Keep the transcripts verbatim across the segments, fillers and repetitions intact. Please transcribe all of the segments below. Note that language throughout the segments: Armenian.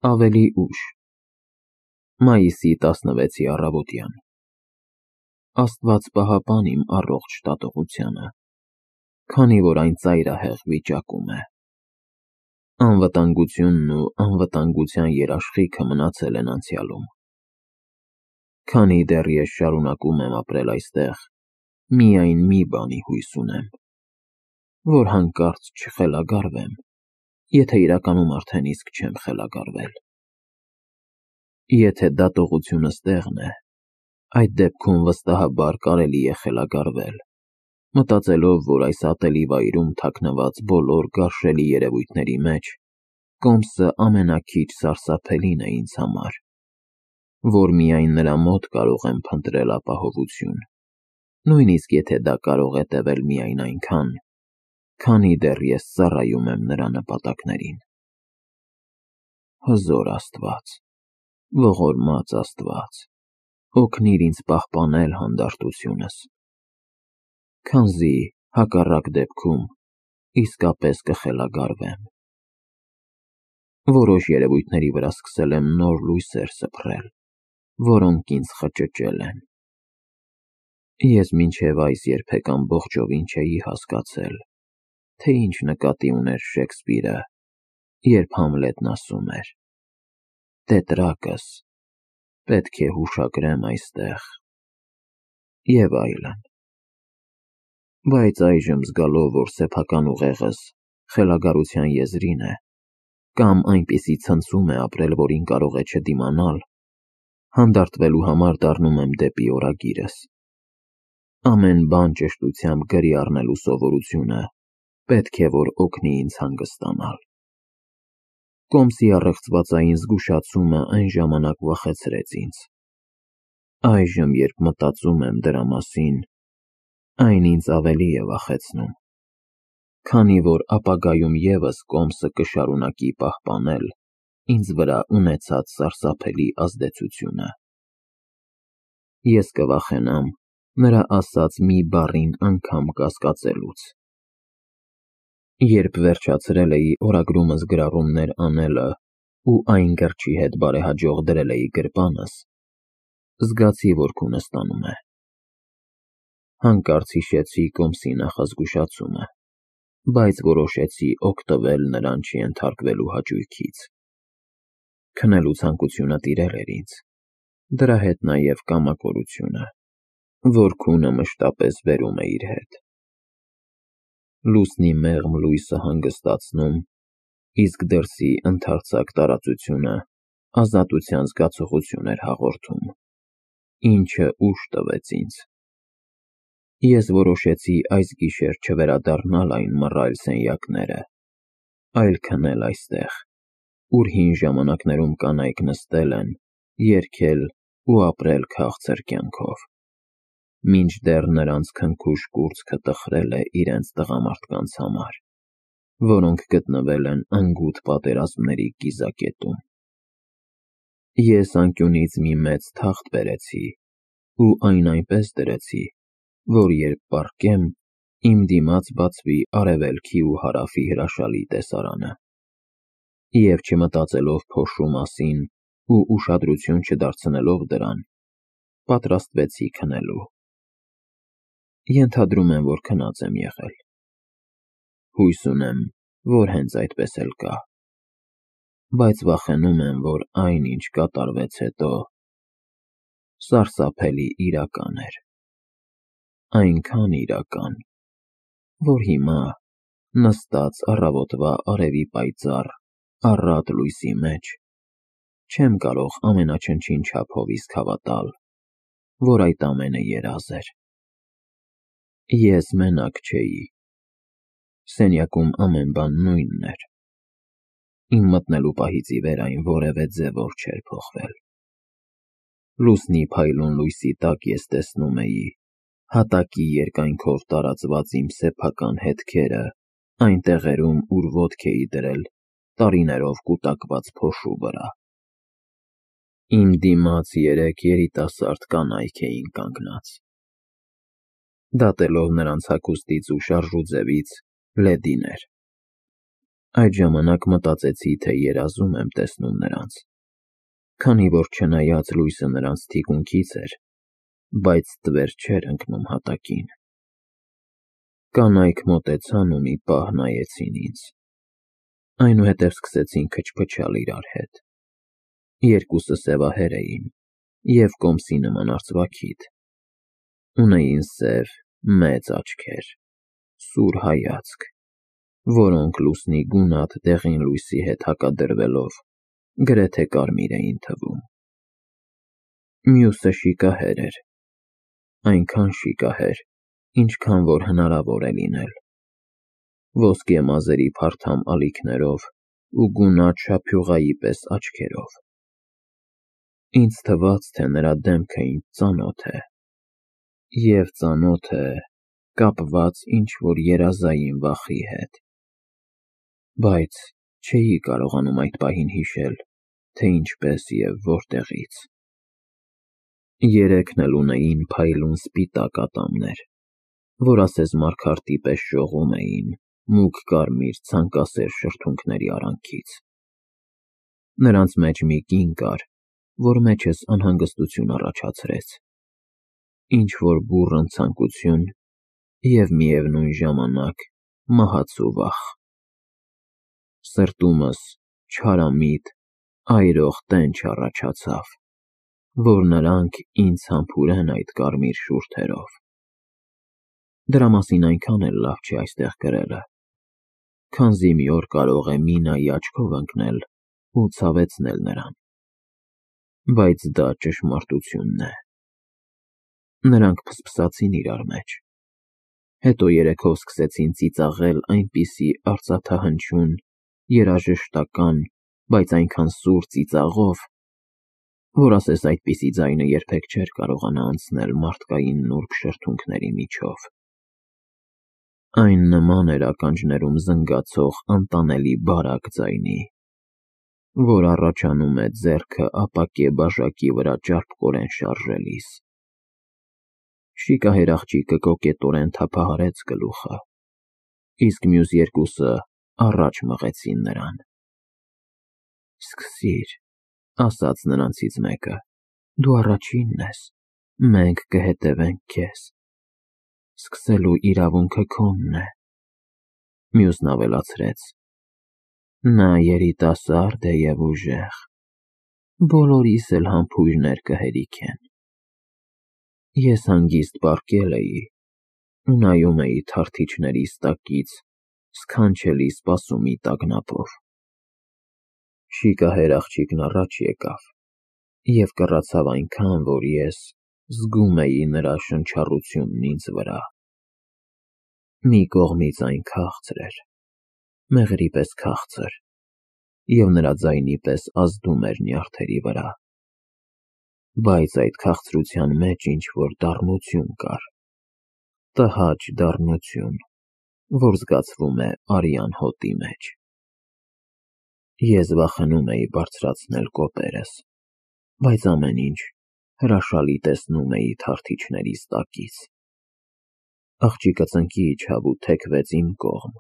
Ավելի ուշ, մայիսի տասնվեցի առավոտյան, Աստված պահապան իմ առողջ տատողությանը, քանի որ այն ծայրահեղ վիճակում է։ Անվտանգությունն ու անվտանգության երաշխիքը մնացել են անցյալում։ Քանի դեռ ես շարունակում եմ ապրել այստեղ, միայն մի բանի հույս ունեմ, որ հանկարծ չխելագարվեմ, եթե իրականում արդեն իսկ չեմ խելագարվել։ Եթե դատողությունը ստեղն է, այդ դեպքում վստահաբար կարելի է խելագարվել, մտածելով, որ այս ատելի վայրում թաքնված բոլոր գարշելի երևույթների մեջ կոմսը ամենաքիչ սարսափելին է ինձ համար, որ միայն նրա մոտ կարող եմ փնտրել ապահովություն, նույնիսկ եթե դա կարող է տևել միայն այնքան, քանի դեռ ես ծառայում եմ նրա նպատակներին։ Հզոր Աստված, ողորմած Աստված, օգնիր ինձ պահպանել հանդարտությունս, քանզի հակառակ դեպքում իսկապես կխելագարվեմ։ Որոշ երևույթների վրա սկսել եմ նոր լույսեր սփռել, որոնք ինձ խճճել են։ Ես մինչև այս երբեք ամբողջովին չէի հասկացել, թե ինչ նկատի ուներ Շեքսպիրը, երբ Համլետն ասում էր. «Տետրակս, պետք է հուշագրեմ այստեղ» և այլն։ Բայց այժմ զգալով, որ սեփական ուղեղս խելագարության եզրին է, կամ այնպիսի ցնցում է ապրել, որին կարող է չդիմանալ, հանդարտվելու համար դառնում եմ դեպի օրագիրս։ Ամեն բան ճշտությամբ գրի առնելու սովորությունը պետք է որ օգնի ինձ հանգստանալ։ Կոմսի առեղծվածային զգուշացումը այն ժամանակ վախեցրեց ինձ։ Այժմ, երբ մտածում եմ դրա մասին, այն ինձ ավելի է վախեցնում, քանի որ ապագայում ևս կոմսը կշարունակի պահպանել ինձ վրա ունեցած սարսափելի ազդեցությունը։ Ես կվախենամ նրա ասած մի բառին անգամ կասկածելուց։ Երբ վերջացրել էի օրագրումս գրառումներ անելը ու այն գրչի հետ բարեհաջող դրել էի գրպանս, զգացի, որ քունը ստանում է։ Հանկարծ հիշեցի կոմսի նախազգուշացումը, բայց որոշեցի օգտվել նրան չենթարկվելու հաճույքից։ Քնելու ցանկությունը տիրել էր ինձ, դրա հետ նաև կամակորությունը, որ քունը մշտապես բերում է իր հետ։ Լուսնի մեղմ լույսը հանգստացնում, իսկ դրսի ընդարձակ տարածությունը ազատության զգացողություն էր հաղորդում, ինչը ուժ տվեց ինձ։ Ես որոշեցի այս գիշեր չվերադառնալ այն մռայլ սենյակները, այլ քնել այստեղ, ուր հին ժամանակներում կանայք նստել են, երգել ու ապրել քաղցր կյանքով, մինչդեռ նրանց քնքուշ կուրծքը տխրել է իրենց տղամարդկանց համար, որոնք գտնվել են անգութ պատերազմների կիզակետում։ Ես անկյունից մի մեծ թախտ բերեցի ու այն այնպես դրեցի, որ երբ պառկեմ, իմ դիմաց բացվի արևելքի ու հարավի հրաշալի տեսարանը։ Եվ չմտածելով փոշու մասին ու ուշադրություն չդարձնելով դրան, պատրաստվեցի քնելու։ Ենթադրում եմ, որ քնած եմ եղել։ Հույս ունեմ, որ հենց այդպես էլ կա, բայց վախենում եմ, որ այն, ինչ կատարվեց հետո, սարսափելի իրական էր։ Այնքան իրական, որ հիմա, նստած առավոտվա արևի պայծառ, առատ լույսի մեջ, չեմ կարող ամենաչնչին չափով իսկ հավատալ, որ այդ ամենը երազ էր։ Ես մենակ չէի։ Սենյակում ամեն բան նույնն էր։ Իմ մտնելու պահից ի վեր այն որևէ ձևով չէր փոխվել։ Լուսնի փայլուն լույսի տակ ես տեսնում էի հատակի երկայնքով տարածված իմ սեփական հետքերը այն տեղերում, ուր ոտք էի դրել տարիներով կուտակված փոշու վրա։ Իմ դիմաց երեք երիտասարդ կանայք էին կանգնած։ Դատելով նրանց հագուստից ու շարժուձևից, լեդիներ։ Այդ ժամանակ մտածեցի, թե երազում եմ տեսնում նրանց, քանի որ չնայած լույսը նրանց թիկունքից էր, բայց տվեր չէր ընկնում հատակին։ Կանայք մոտեցան ու մի պահ նայեցին ինձ, այնուհետև սկսեցին քչփչալ իրար հետ։ Երկուսը սևահեր էին և կոմսի նման արծվաքիթ, ունեին սև, մեծ աչքեր, սուր հայացք, որոնք լուսնի գունատ դեղին լույսի հետ հակադրվելով գրեթե կարմիր էին թվում։ Մյուսը շիկահեր էր, այնքան շիկահեր, ինչքան որ հնարավոր է լինել, ոսկե մազերի փարթամ ալիքներով ու գունատ շափյուղայի պես աչքերով։ Ինձ թվաց, թե նրա դեմքը ինձ ծանոթ է, և ծանոթ է կապված ինչ-որ երազային վախի հետ, բայց չէի կարողանում այդ պահին հիշել, թե ինչպես և որտեղից։ Երեքն էլ ունեին փայլուն սպիտակ ատամներ, որ ասես մարգարտի պես շողում էին մուգ կարմիր ցանկասեր շրթունքների արանքից։ Նրանց մեջ մի կին կար, որ մեջս անհանգստություն առաջացրեց, ինչ-որ բուռն ցանկություն և միևնույն ժամանակ մահացու վախ։ Սրտումս չարամիտ, այրող տենչ առաջացավ, որ նրանք ինձ համբուրեն այդ կարմիր շուրթերով։ Դրա մասին այնքան էլ լավ չի այստեղ գրելը, քանզի մի օր կարող է Մինայի աչքով ընկնել ու ցավեցնել նրան, բայց դա ճշմարտությունն է։ Նրանք փսփսացին իրար մեջ, հետո երեքով սկսեցին ծիծաղել այնպիսի արծաթահնչյուն, երաժշտական, բայց այնքան սուր ծիծաղով, որ ասես այդպիսի ձայնը երբեք չէր կարողանա անցնել մարդկային նուրբ շրթունքների միջով։ Այն նման էր ականջներում զնգացող անտանելի բարակ ձայնի, որ առաջանում է ձեռքը ապակե բաժակի վրա ճարպկորեն շարժելիս։ Շիկահեր աղջիկը կոկետորեն թափահարեց գլուխը, իսկ մյուս երկուսը առաջ մղեցին նրան։ Սկսիր, ասաց նրանցից մեկը, դու առաջինն ես, մենք կհետևենք քեզ, սկսելու իրավունքը քոնն է։ Մյուսն ավելացրեց. նա երիտասարդ է և ուժեղ, բոլորիս էլ համբույրներ կհերիքեն։ Ես հանգիստ պառկել էի ու նայում էի թարթիչներիս տակից սքանչելի սպասումի տագնապով։ Շիկահեր աղջիկն առաջ եկավ և կռացավ այնքան, որ ես զգում էի նրա շնչառությունն ինձ վրա։ Մի կողմից այն քաղցր էր, մեղրի պես քաղցր, և նրա ձայնի պես ազդում էր նյարդերի վրա, բայց այդ քաղցրության մեջ ինչ-որ դառնություն կար, տհաճ դառնություն, որ զգացվում է արյան հոտի մեջ։ Ես վախենում էի բարձրացնել կոպերս, բայց ամեն ինչ հրաշալի տեսնում էի թարթիչներիս տակից։ Աղջիկը ծնկի իջավ ու թեքվեց իմ կողմ,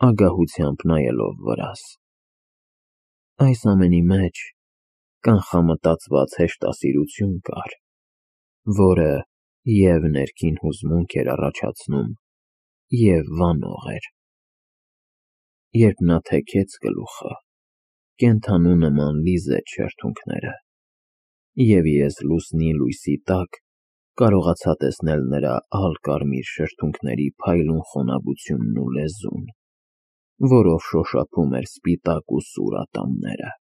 ագահությամբ նայելով վրաս։ Այս ամենի մեջ կանխամտածված հեշտասիրություն կար, որը և ներքին հուզմունք էր առաջացնում, և վանող էր։ Երբ նա թեքեց գլուխը, կենդանու նման լիզեց շրթունքները, և ես լուսնի լույսի տակ կարողացա տեսնել նրա ալկարմիր շրթունքների փայլուն խոնավությունն ու լեզուն, որով շոշափում էր սպիտակ ու սուր ատամները։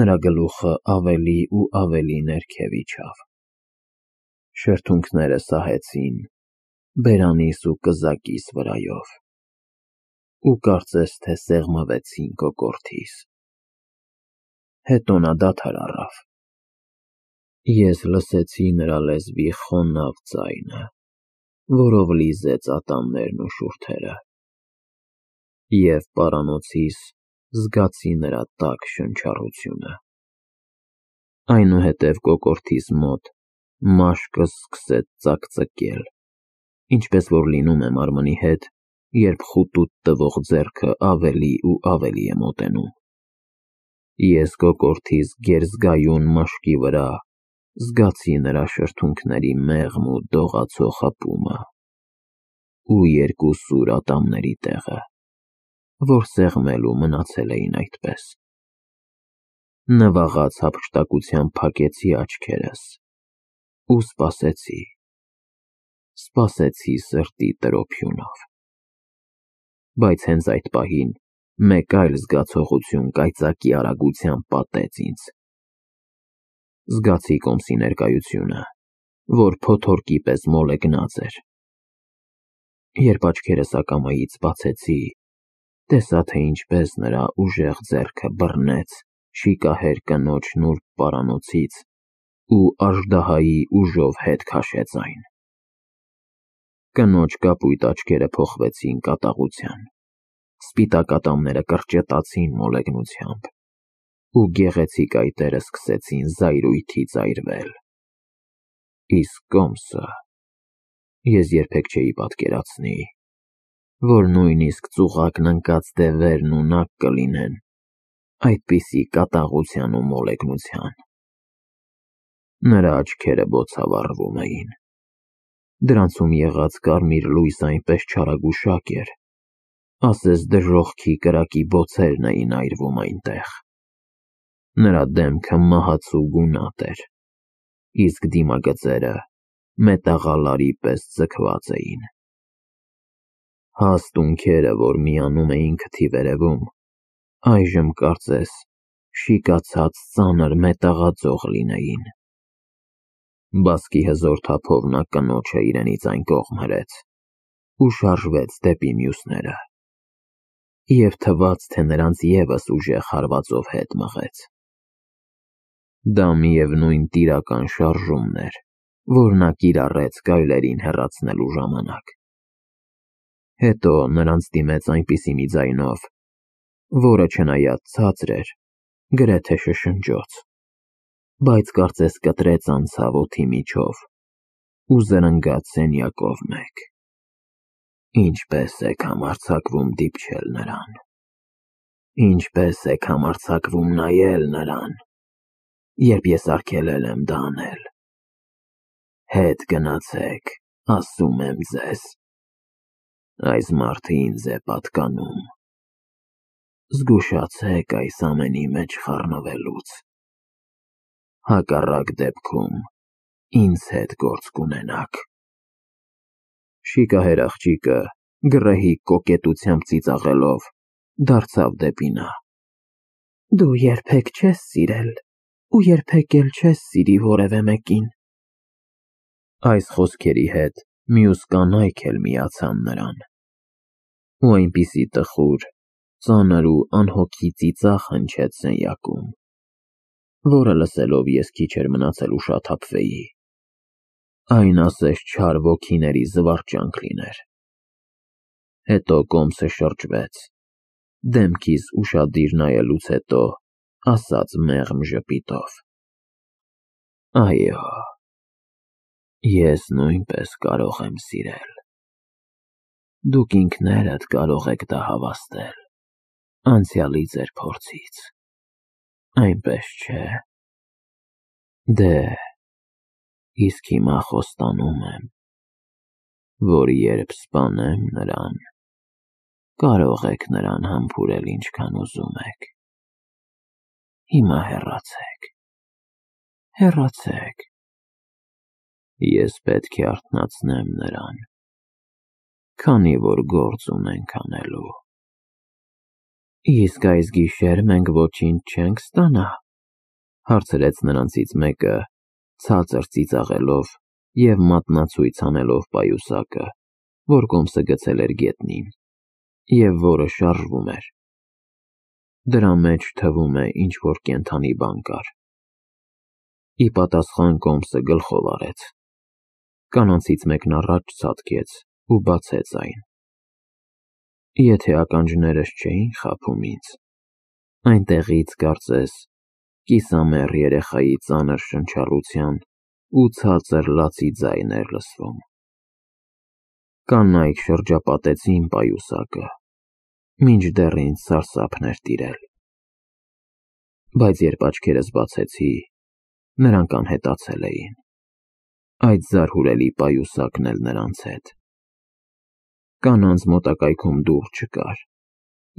Նրա գլուխը ավելի ու ավելի ներքև իջավ, շրթունքները սահեցին բերանիս ու կզակիս վրայով ու կարծես թե սեղմվեցին կոկորդիս։ Հետո նա դադար առավ։ Ես լսեցի նրա լեզվի խոնավ ձայնը, որով լիզեց ատամներն ու շուրթերը, և պարանոցիս զգացի նրա տաք շնչառությունը։ Այնուհետև կոկորդիս մոտ մաշկս սկսեց ծակծկել, ինչպես որ լինում է մարմնի հետ, երբ խուտուտ տվող ձեռքը ավելի ու ավելի է մոտենում։ Ես կոկորդիս գերզգայուն մաշկի վրա զգացի նրա շրթունքների մեղմ ու դողացող հպումը ու երկու սուր ատամների տեղը, որ սեղմելու մնացել էին այդպես։ Նվաղած հափշտակությամբ փակեցի աչքերս ու սպասեցի, սպասեցի սրտի տրոփյունով։ Բայց հենց այդ պահին մեկ այլ զգացողություն կայծակի արագությամբ պատեց ինձ։ Զգացի կոմսի ներկայությունը, որ փոթորկի պես մոլեգնած էր։ Երբ աչքերս ակամայից բացեցի, տեսա, թե ինչպես նրա ուժեղ ձեռքը բռնեց շիկահեր կնոջ նուրբ պարանոցից ու աժդահայի ուժով հետ քաշեց այն։ Կնոջ կապույտ աչքերը փոխվեցին կատաղության, սպիտակ ատամները կրճտացին մոլեգնությամբ ու գեղեցիկ այտերը սկսեցին զայրույթի զայրվել։ Իսկ կոմսը… Ես երբեք չէի պատկերացնի, որ նույնիսկ ծուղակն ընկած դևերն ունակ կլինեն այդպիսի կատաղության ու մոլեգնության։ Նրա աչքերը բոցավառվում էին, դրանցում եղած կարմիր լույսը այնպես չարագուշակ էր, ասես դժոխքի կրակի բոցերն էին այրվում այնտեղ։ Նրա դեմքը մահացու գունատ էր, իսկ դիմագծերը մետաղալարի պես ձգված էին։ Հաստ ունքերը, որ միանում էին քթի վերևում, այժմ կարծես շիկացած ծանր մետաղաձող լինեին։ Բասկի հզոր թափով նա կնոջը իրենից այն կողմ հրեց ու շարժվեց դեպի մյուսները, և թվաց, թե նրանց ևս ուժեղ հարվածով հետ մղեց։ Դա միևնույն տիրական շարժումն էր, որ նա կիրառեց գայլերին հեռացնելու ժամանակ։ Հետո նրանց դիմեց այնպիսի մի ձայնով, որը չնայած ցածր էր, գրեթե շշնջոց, բայց կարծես կտրեց անցավ օդի միջով ու զրնգաց սենյակով մեկ։ Ինչպե՞ս եք համարձակվում դիպչել նրան, ինչպե՞ս եք համարձակվում նայել նրան, երբ ես արգելել եմ դա անել։ Հետ գնացեք, ասում եմ ձեզ, այս մարդը ինձ է պատկանում։ Զգուշացեք այս ամենի մեջ խառնվելուց, հակառակ դեպքում ինձ հետ գործ կունենաք։ Շիկահեր աղջիկը, գռեհիկ կոկետությամբ ծիծաղելով, դարձավ դեպի նա։ Դու երբեք չես սիրել ու երբեք էլ չես սիրի որևէ մեկին։ Այս խոսքերի հետ մյուս կանայք էլ միացան նրան, ու այնպիսի տխուր, ծանր ու անհոգի ծիծաղ հնչեց սենյակում, որը լսելով ես քիչ էր մնացել ուշաթափվեի։ Այն ասես չար ոգիների զվարճանք լիներ։ Հետո կոմսը շրջվեց, դեմքիս ուշադիր նայելուց հետո ասաց մեղմ ժպիտով. Այո, ես նույնպես կարող եմ սիրել։ Դուք ինքներդ կարող եք դա հավաստել անցյալի ձեր փորձից, այնպես չէ։ Դե, իսկ հիմա խոստանում եմ, որ երբ սպանեմ նրան, կարող եք նրան համբուրել ինչքան ուզում եք։ Հիմա հեռացեք, հեռացեք։ Ես պետք է արթնացնեմ նրան, քանի որ գործ ունենք անելու։ Իսկ այս գիշեր մենք ոչինչ չենք ստանա, հարցրեց նրանցից մեկը, ցածր ծիծաղելով և մատնացույց անելով պայուսակը, որ կոմսը գցել էր գետնին, և որը շարժվում էր։ Դրա մեջ թվում է ինչ-որ կենդանի բան կար։ Ի պատասխան կոմսը գլխով արեց։ Կանանցից մեկն առաջ ցատկեց ու բացեց այն։ Եթե ականջներս չէին խաբում ինձ, այնտեղից, կարծես, կիսամեռ երեխայի ծանր շնչառության ու ցածր լացի ձայն էր լսվում։ Կանայք շրջապատեցին պայուսակը, մինչդեռ ինձ սարսափն էր տիրել, բայց երբ աչքերս բացեցի, նրանք անհետացել էին, այդ զարհուրելի պայուսակն էլ նրանց հետ։ Կանանց մոտակայքում դուռ չկար,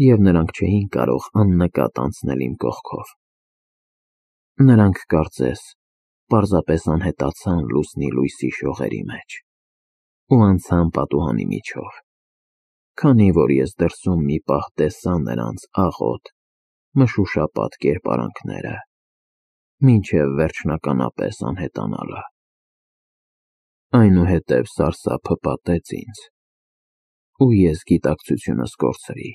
և նրանք չէին կարող աննկատ անցնել իմ կողքով։ Նրանք կարծես պարզապես անհետացան լուսնի լույսի շողերի մեջ ու անցան պատուհանի միջով, քանի որ ես դրսում մի պահ տեսա նրանց աղոտ, մշուշապատ կերպարանքները, մինչև վերջնականապես անհետանալը։ Այնուհետև սարսափը պատեց ինձ, ու ես գիտակցությունս կորցրի։